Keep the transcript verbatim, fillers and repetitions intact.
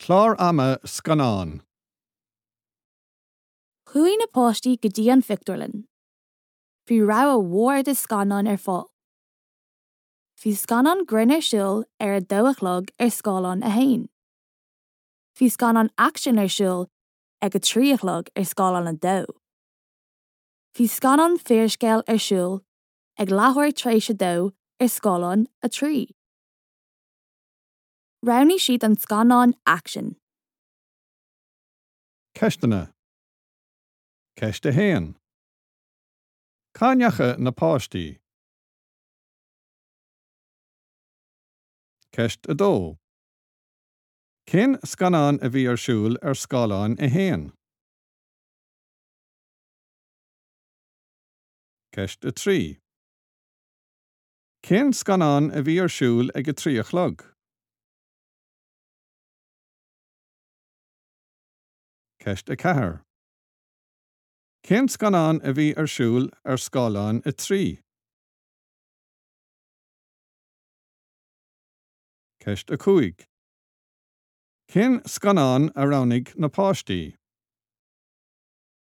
Clár ama scannán. Chuaigh na páistí go dtí an phictiúrlann. Bhí rogha mhór de scannáin ar fáil. Bhí scannán grinn ar siúl ar a dó a chlog ar scáileán a haon. Bhí scannán aicsin ar siúl ag a trí a chlog ar scáileán a dó. Bhí scannán fíorscéil ar siúl ag leathuair tar éis a dó ar scáileán a trí. Roghnaigh siad an scannán aicsin. Ceisteanna. Ceist a haon. Cá ndeachaigh na páistí? Ceist a dó. Cén scannán a bhí ar siúl ar scáileán a haon? Ceist a trí. Cén scannán a bhí ar siúl ag a trí a chlog? Ceist a ceathair. Cén scannán a bhí ar siúl ar scáileán a trí? Ceist a cúig. Cén scannán a roghnaigh na páistí?